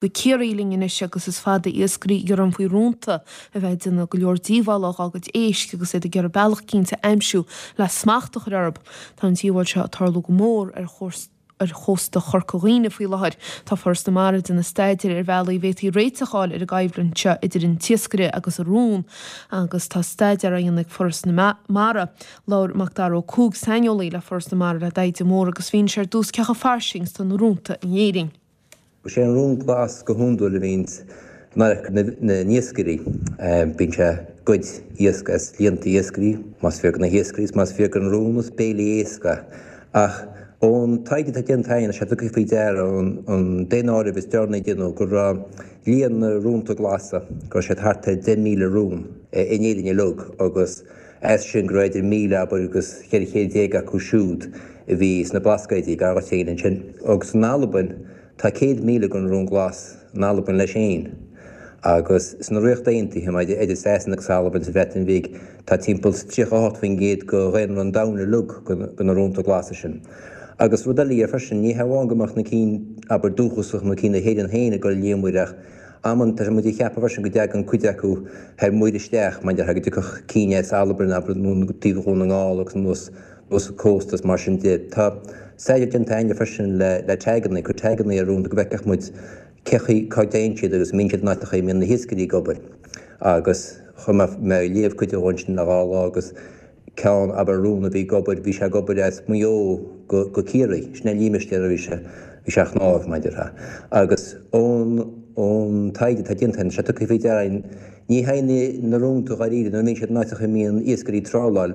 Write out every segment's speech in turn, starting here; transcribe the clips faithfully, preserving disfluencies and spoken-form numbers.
Go Ciarraí linn anois agus is fada iascairí ag gearán faoi rónta a bheith ag déanamh go leor díobhála dá gcuid éisc agus iad ag iarraidh bealach cinnte a aimsiú le smacht a chur orthu. Tá an díobháil seo ag tarlú go mór ar ar chósta Chorca Dhuibhne faoi láthair. Tá Foras na Mara ag déanamh staidéir ar bhealaí a bhféadfaí réiteach a fháil ar an gcoimhlint seo idir an t-iascaire agus an rón, agus tá staidéar á dhéanamh ag Foras na Mara. Labhair Macdara Ó Cuaig saineolaí le Foras na Mara le Tadhg de Mórdha agus mhínigh sé ar dtús cé chomh fairsing is atá na rónta in Éirinn. Is é an rón glas go hiondúil a bhíonns in adharca na n-iascairí. Bíonn sé ag goid iasc as líonta iascairí, más fíor do na hiascairí is más fíor don rón is béile éisc é. Ach ón taighde atá déanta againn, tá sé tugtha faoi deara ón daonáireamh is deireanaí a déanadh go raibh líon na rónta glasa, go raibh siad thart ar deich míle rón in Éirinn uilig agus as sin go raibh idir míle, abair, agus cheithre chéad déag acu siúd a bhí sna Blascaoidí, gar dhuit féin ansin. Agus in Albain, Tá céad míle den rón glas in Albain leis féin agus sna Ríocht Aontaithe, idir Sasana agus Albain sa Bhreatain Bhig, tá timpeall tríocha a hocht faoin gcéad de dhaonra an domhain uilig de na rónta glasa sin. Agus rud eile dhe freisin, ní hamháin go mbeadh na cinn, abair, dúchasach nó cinn na hÉireann féin ag dul thar muir ach amanta tá muid ag ceapadh freisin go dtagann cuid acu thar muir isteach, mar déarfá go dtiocfadh cinn as Albain, abair, nó taobh Dhún na nGall agus anuas anuas an cósta is mar sin de. Tá staidéar déanta againne freisin le le taganna, cur taganna ar rónta go bhfeicfeadh muid cé chaoi cá dtéann siad agus an mbíonn siad in áiteacha a mbíonn na hiascairí ag obair. Agus chuaigh mé ag léamh cuid dhó ansin le dhá lá agus ceann, abair, rón a bhí ag obair, bhí sé ag obair as Maigh Eo go go Ciarraí, sin é an límistéar a bhí sé, bhí sé ag shnámh, mar a déarfá. Agus ón ón taighde atá déanta againn, tá sé tugtha faoi deara againn, ní théann na rónta dháiríre nuair a bhíonn siad in áiteacha a mbíonn iascairí ag tráláil,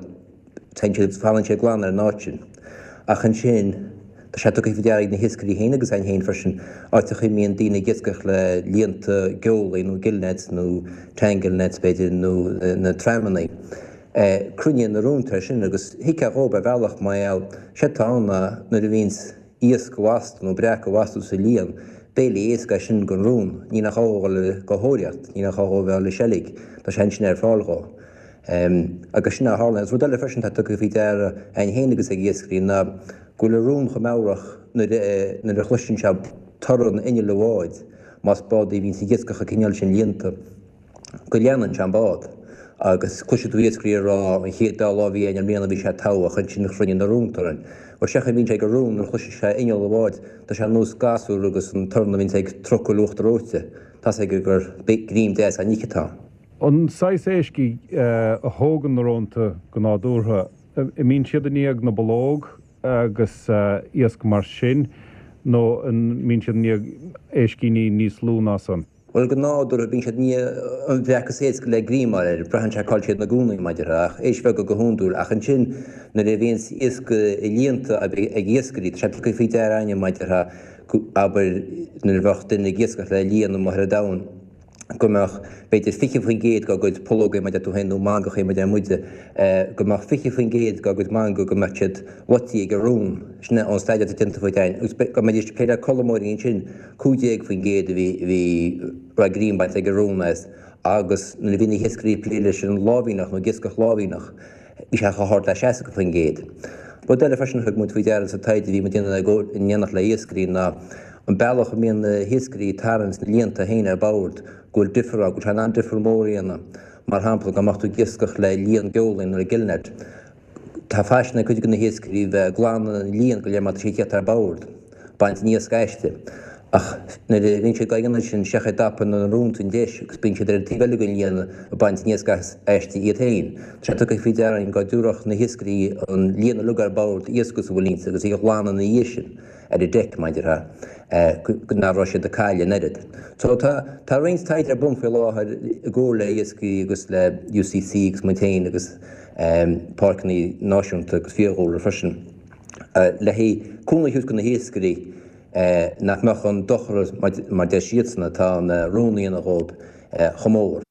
Téann siad, fanann siad glan ar an áit sin. Ach ansin, tá sé tugtha faoi deara ag na hiascairí féin agus againn féin freisin, áiteacha a mbíonn daoine ag iascach le líonta geolaí nó gillnets nó tangle nets b'fhéidir nó na tramannaí. Cruinníonn na rónta air sin agus thuigfeá dhóibh ar bhealach mar gheall, séard atá ann ná nuair a bhíonns iasc lasta nó breac á bhastú sa líon, béile éasca é sin don rón, ní nach gá dhó dhul ag tóraíocht, ní nach gá dhó bheith ag dul ag seilg, tá sé ansin ar fáil dhó. Agus sin a tharlaíonn. Agus rud eile freisin atá tugtha faoi deara againn féin agus ag iascairí ná go bhfuil an rón chomh meabhrach nuair a nuair a chloiseann sé torann inneall an bháid, más bád é a bhíonns ag iascach an cineál sin líonta, go leanann sé an bád. Agus cloisfidh tú iascairí ag rá an chéad dá lá a bhí againn i mbliana bhí sé togha ach ansin chruinnigh na rónta orainn. Bhuel sé an chaoi a mbíonn sé ag an rón nuair a chloiseann sé inneall an bháid, tá sé ar nós gasúr agus an torann a bhíonns ag trucail uachtar reoite, tá's aige gur greim deas á n-ithe atá ann. An saghas éisc a thógann na rónta go nádúrtha, an mbíonn siad i ndiaidh na bpollóg agus iasc mar sin nó an mbíonn siad i ndiaidh éiscíní níos lú ná san? Bhuel, go nádúrtha bíonn siad i ndiaidh an bhreac is éasca le greim a fháil air, braitheann sé cá bhfuil siad ina gcónaí, mar a déarfá, ach éisc bheaga go hiondúil. Ach ansin nuair a bhíonns iasc i líonta ag iascairí, tá sé tugtha faoi deara againne, mar a déarfá, abair nuair a bheadh duine ag iascach le líon amuigh ar an domhan, go mbeadh b'fhéidir fiche faoin gcéad dá gcuid pollógaí, mar a deir tú féin, nó mangachaí, mar a deir muide, go mbeadh fiche faoin gcéad dá gcuid mangaigh go mbeadh siad loití ag an rón. Sin é ón staidéar atá déanta faoi againn. Agus dá mbeidís ag plé le colmóirí ansin, cúig déag faoin gcéad a bhí, a bhí, raibh greim bainte ag an rón as. Agus nuair a bhí na hiascairí ag plé leis an láimhíneach nó ag iascach láimhíneach, bhí sé chomh hard le seasca faoin gcéad. Rud eile freisin a thug muid faoi deara sa taighde a bhí muid ag déanamh in éineacht le hiascairí ná an bealach a mbíonn na hiascairí ag tarraingt na líonta féin ar bord, go bhfuil difear ann, go bhfuil sé in ann difear mór a dhéanamh. Mar shampla, dá mbeadh tú ag iascach le líon geolaí nó le gillnet, Tá faisean ag cuid de na hiascairí bheith ag glanadh an líon go léir má tá sé ag tíocht ar bord, baint an iasc aisti. Ach nuair a bhíonn siad á dhéanamh sin, sé an chaoi a dtapaíonn na rónta an deis agus bíonn siad ar an taobh eile den líon ag baint an iasc aisti iad féin. Tá sé tugtha faoi deara againn go dtabharfadh na hiascairí an líon uilig ar bord, iasc is a bhfuil inti, agus í a ghlanadh ina dhiaidh sin ar an deic, mar a déarfá, nach raibh siad ag cailleadh an oiread. So tá tá roinnt taighde ar bun faoi láthair i gcomhar le iascairí agus le UCC agus muid féin agus páirceanna náisiúnta agus fiadhúlra freisin, le haghaidh cúnamh a thabhairt do na hiascairí nach mbeadh an dochar, mar deir siadsan, atá na róin a dhéanamh dhóibh chomh mór.